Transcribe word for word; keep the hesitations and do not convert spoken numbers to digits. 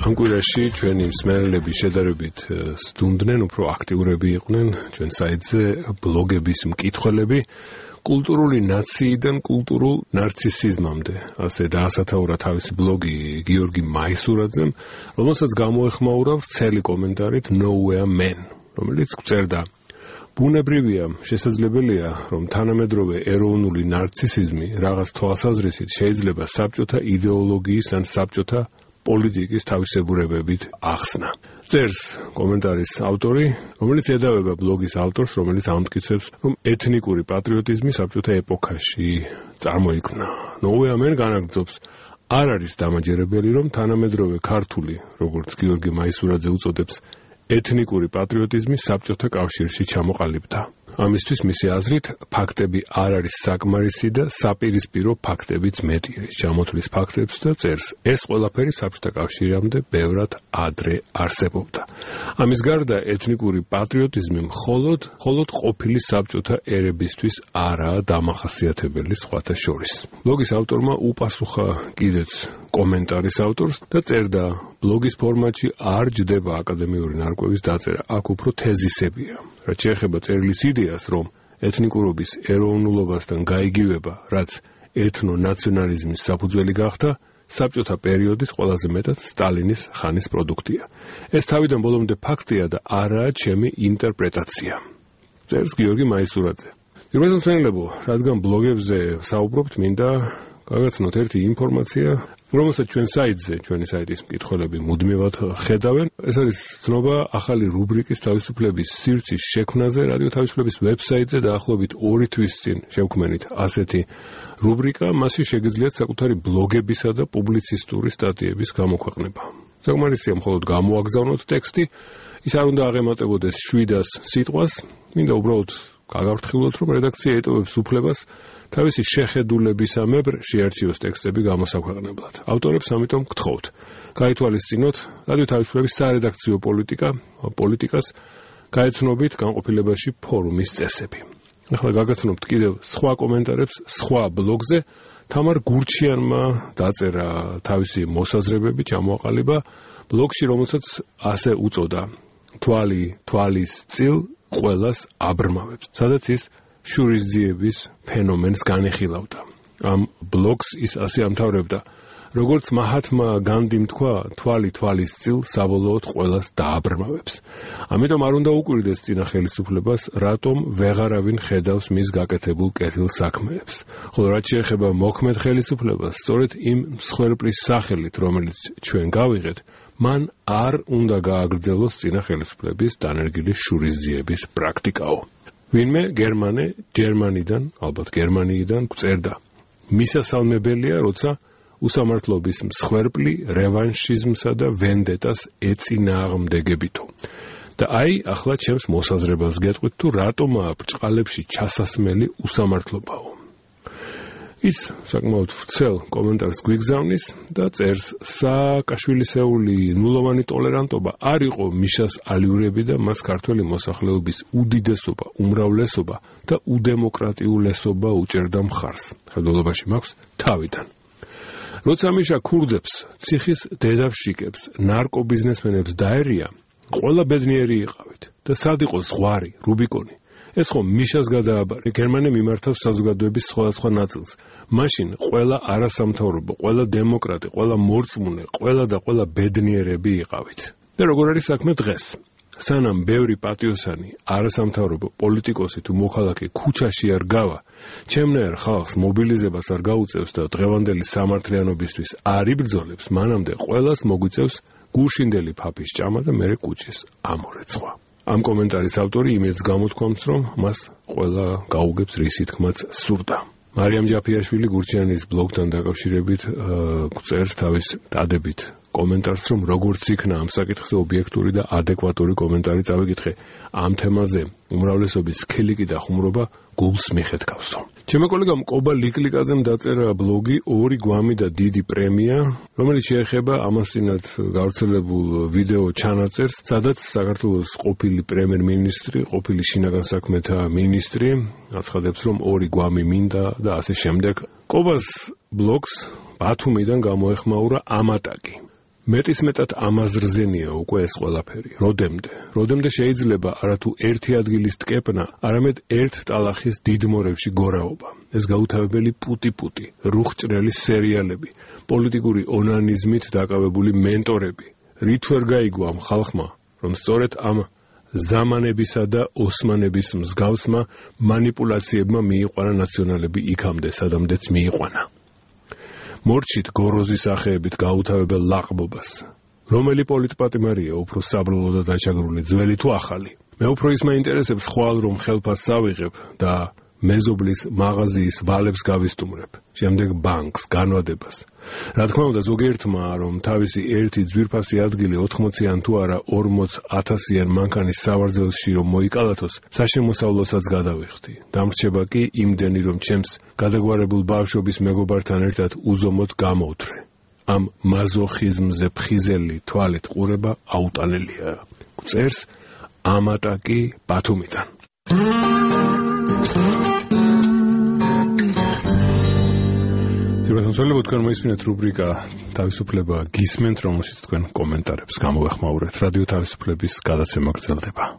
ამ კვირაში ჩვენი მსმენელები შედარებით სტუმდნენ, უფრო აქტიურები იყვნენ ჩვენ საიტზე ბლოგების მკითხველები, კულტურული ნაციიდან კულტურულ ნარცისიზმამდე. ასე დაასათაურა თავისი ბლოგი გიორგი მაისურაძემ, რომელსაც გამოეხმაურა ვრცელი კომენტარით Nowhere Man, რომელიც წერდა: ბუნებრივია, შესაძლებელია, რომ თანამედროვე ეროვნული ნარცისიზმი რაღაც თვალსაზრისით შეიძლება საბჭოთა იდეოლოგიის ან საბჭოთა პოლიტიკის თავისებურებებით ახსნა. წერს კომენტარის ავტორი, რომელიც ედავება ბლოგის ავტორს, რომელიც ამტკიცებს, რომ ეთნიკური პატრიოტიზმი საბჭოთა ეპოქაში წარმოიქმნა. Nowhere Man განაგრძობს: არ არის დამაჯერებელი, რომ თანამედროვე ქართული, როგორც გიორგი მაისურაძე უწოდებს, ეთნიკური პატრიოტიზმი საბჭოთა კავშირში ჩამოყალიბდა. ამისთვის მისი აზრით, ფაქტები არ არის საკმარისი და საპირისპირო ფაქტებიც მეტი არის. ჩამოთვლის ფაქტებს და წერს: ეს ყველაფერი საბჭოთა კავშირამდე ბევრად ადრე არსებობდა. ამის გარდა ეთნიკური პატრიოტიზმი მხოლოდ, მხოლოდ ყოფილი საბჭოთა ერებისთვის არაა დამახასიათებელი სხვათა შორის. ბლოგის ავტორმა უპასუხა კიდეც კომენტარის ავტორს და წერდა: ბლოგის ფორმატში არ ჯდება აკადემიური ნარკვევის დაწერა, აქ უფრო თეზისებია. რაც შეეხება წერილის იდეას, რომ ეთნიკურობის ეროვნულობასთან გაიგივება, რაც ეთნონაციონალიზმის საფუძველი გახდა, საბჭოთა პერიოდის ყველაზე მეტად სტალინის ხანის პროდუქტია. ეს თავიდან ბოლომდე ფაქტია და არაა ჩემი ინტერპრეტაცია. წერს გიორგი მაისურაძე. პირველ მსმენელებო, რადგან ბლოგებზე საუბრობთ, მინდა გაგაცნოთ ერთი ინფორმაცია, რომელსაც ჩვენ საიტზე, ჩვენი საიტის მკითხველები მუდმივად ხედავენ. ეს არის ცნობა ახალი რუბრიკის თავისუფლების სივრცის შექმნაზე რადიო თავისუფლების ვებსაიტზე დაახლოებით ორი თვის წინ შევქმნით ასეთი რუბრიკა, მასში შეგიძლიათ საკუთარი ბლოგებისა და პუბლიცისტური სტატიების გამოქვეყნება. საკმარისია მხოლოდ გამოაგზავნოთ ტექსტი, ის არ უნდა აღემატებოდეს შვიდას სიტყვას, მინდა უბრალოდ გაგავრთხილოთ, რომ რედაქცია ეტოვებს უფლებას თავისი შეხედულებისამებრ შეარჩიოს ტექსტები გამოსაქვეყნებლად. ავტორებს ამიტომ გთხოვთ, გაითვალისწინოთ რადიო თავისუფლების სარედაქციო პოლიტიკა, პოლიტიკას გაეცნობით განყოფილებაში ფორუმის წესები. ახლა გაგაცნობთ კიდევ სხვა კომენტარებს სხვა ბლოგზე. თამარ გურჩიანმა დაწერა თავისი მოსაზრებები, ჩამოაყალიბა ბლოგში, რომელსაც ასე უწოდა: თვალი თვალის წილ ყველას აბრმავებს, სადაც ის შურისძიების ფენომენს განეხილავდა. ამ ბლოგს ის ასე ამთავრებდა: როგორც მაჰათმა განდიმ თქვა, თვალი თვალის წილ საბოლოოდ ყველას დააბრმავებს. ამიტომ არ უნდა უკვირდეს წინა ხელისუფლებას, რატომ ვეღარავინ ხედავს მის გაკეთებულ კეთილ საქმეებს. ხოლო რაც შეეხება მოქმედ ხელისუფლებას, სწორედ იმ მსხვერპლის სახელით, რომელიც ჩვენ გავიღეთ, მან არ უნდა გააგრძელოს წინა ხელისუფლების დანერგილი შურისძიების პრაქტიკაო. ვინმე გერმანე ჯერმანიდან, ალბათ გერმანიიდან გვწერდა: მისასალმებელია, როცა უსამართლობის მსხვერპლი რევანშიზმსა და ვენდეტას ეწინააღმდეგებითო. და აი, ახლა ჩემს მოსაზრებას გეტყვით, თუ რატომაა ბრჭყალებში ჩასასმელი უსამართლობაო. ის საკმაოდ ვრცელ კომენტარს გვიგზავნის და წერს: სააკაშვილისეული ნულოვანი ტოლერანტობა არ იყო მიშას ალიურები და მას ქართველი მოსახლეობის უდიდესობა, უმრავლესობა და უდემოკრატიულესობა უჭერდა მხარს. ხელდელობაში მაქვს თავიდან. როცა მიშა ქურდებს, ციხის დედავშიკებს, ნარკობიზნესმენებს დაერია, ყველა ბედნიერი იყავით და სად იყო ზღვარი, რუბიკონი. ეს ხომ მიშას გადააბარე, გერმანია მიმართავს საზოგადოების სხვადასხვა ნაწილს. მაშინ ყველა არასამთავრობო, ყველა დემოკრატი, ყველა მორწმუნე, ყველა და ყველა ბედნიერები იყავით. და როგორ არის საქმე დღეს? სანამ ბევრი პატიოსანი, არასამთავრობო პოლიტიკოსი თუ მოქალაქე ქუჩაში არ გავა, ჩემნაირ ხალხს მობილიზებას არ გაუწევს და დღევანდელი სამართლიანობისთვის არ იბრძოლებს, მანამდე ყველას მოგვიწევს გუშინდელი ფაფის ჭამა და მერე კუჭის ამორეცხვა. ამ კომენტარის ავტორი იმედს გამოთქვამს, რომ მას ყველა გაუგებს რისი თქმაც სურდა. მარიამ ჯაფიაშვილი გურჩიანის ბლოგთან დაკავშირებით წერს თავის დადებით კომენტარს, რომ როგორც იქნა ამ საკითხზე ობიექტური და ადეკვატური კომენტარი წავიკითხე. ამ თემაზე უმრავლესობის სქილიკი და ხუმრობა გულს მიხეთქავსო. ჩემო კოლეგამ კობა ლიკლიკაძემ დაწერა ბლოგი ორი გვამი და დიდი პრემია, რომელიც შეეხება ამასწინათ გავრცელებულ ვიდეო ჩანაწერს, სადაც საქართველოს ყოფილი პრემიერ-მინისტრი, ყოფილი შინაგან საქმეთა მინისტრი აცხადებს, რომ ორი გვამი მინდა და ასე შემდეგ. კობას ბლოგს ბათუმიდან გამოეხმაურა ამატაკი. მეტისმეტად ამაზრზენია უკვე ეს ყველაფერი. როდემდე? როდემდე შეიძლება არათუ ერთი ადგილის ტკეპნა, არამედ ერთ ტალახის დიდმორევში გორაობა. ეს გაუთავებელი პუტი-პუტი, რუხჭრელი სერიალები, პოლიტიკური ონანიზმით დაკავებული მენტორები. რით ვერ გაიგო ამ ხალხმა, რომ სწორედ ამ ზამანებისა და ოსმანების მსგავსმა მანიპულაციებმა მიიყვანა ნაციონალები იქამდე, სადამდეც მიიყვანა. მორჩით გოროზის სახეებით გაუთავებელ ლაყბობას. რომელი პოლიტპატიმარია უფრო საბრალო და დაჩაგრული, ძველი თუ ახალი? მე უფრო ის მაინტერესებს ხვალ რომ ხელფასს ავიღებ და მეზობლის მაღაზიის ვალებს გავისტუმრებ, შემდეგ ბანკს, განვადებას. რა თქმა უნდა, ზოგიერთმა რომ თავისი ერთი ძვირფასი ადგილი ოთხმოციან თუ არა ორმოც ათასიან მანქანის სავარძელში რომ მოიკალათოს, საშემოსავლოსაც გადავიხდი. დამრჩება კი იმდენი რომ ჩემს გადაგვარებულ ბავშვობის მეგობართან ერთად უზომოდ გამოვთრე. ამ მაზოხიზმზე ფხიზელი თვალით ყურება აუტანელია. წერს ამატაკი ბათუმიდან. თუმცა თქვენ მოისმინეთ რუბრიკა თავისუფლება გისმენთ, რომელშიც თქვენ კომენტარებს გამოვეხმაურეთ. რადიო თავისუფლების გადაცემა გრძელდება.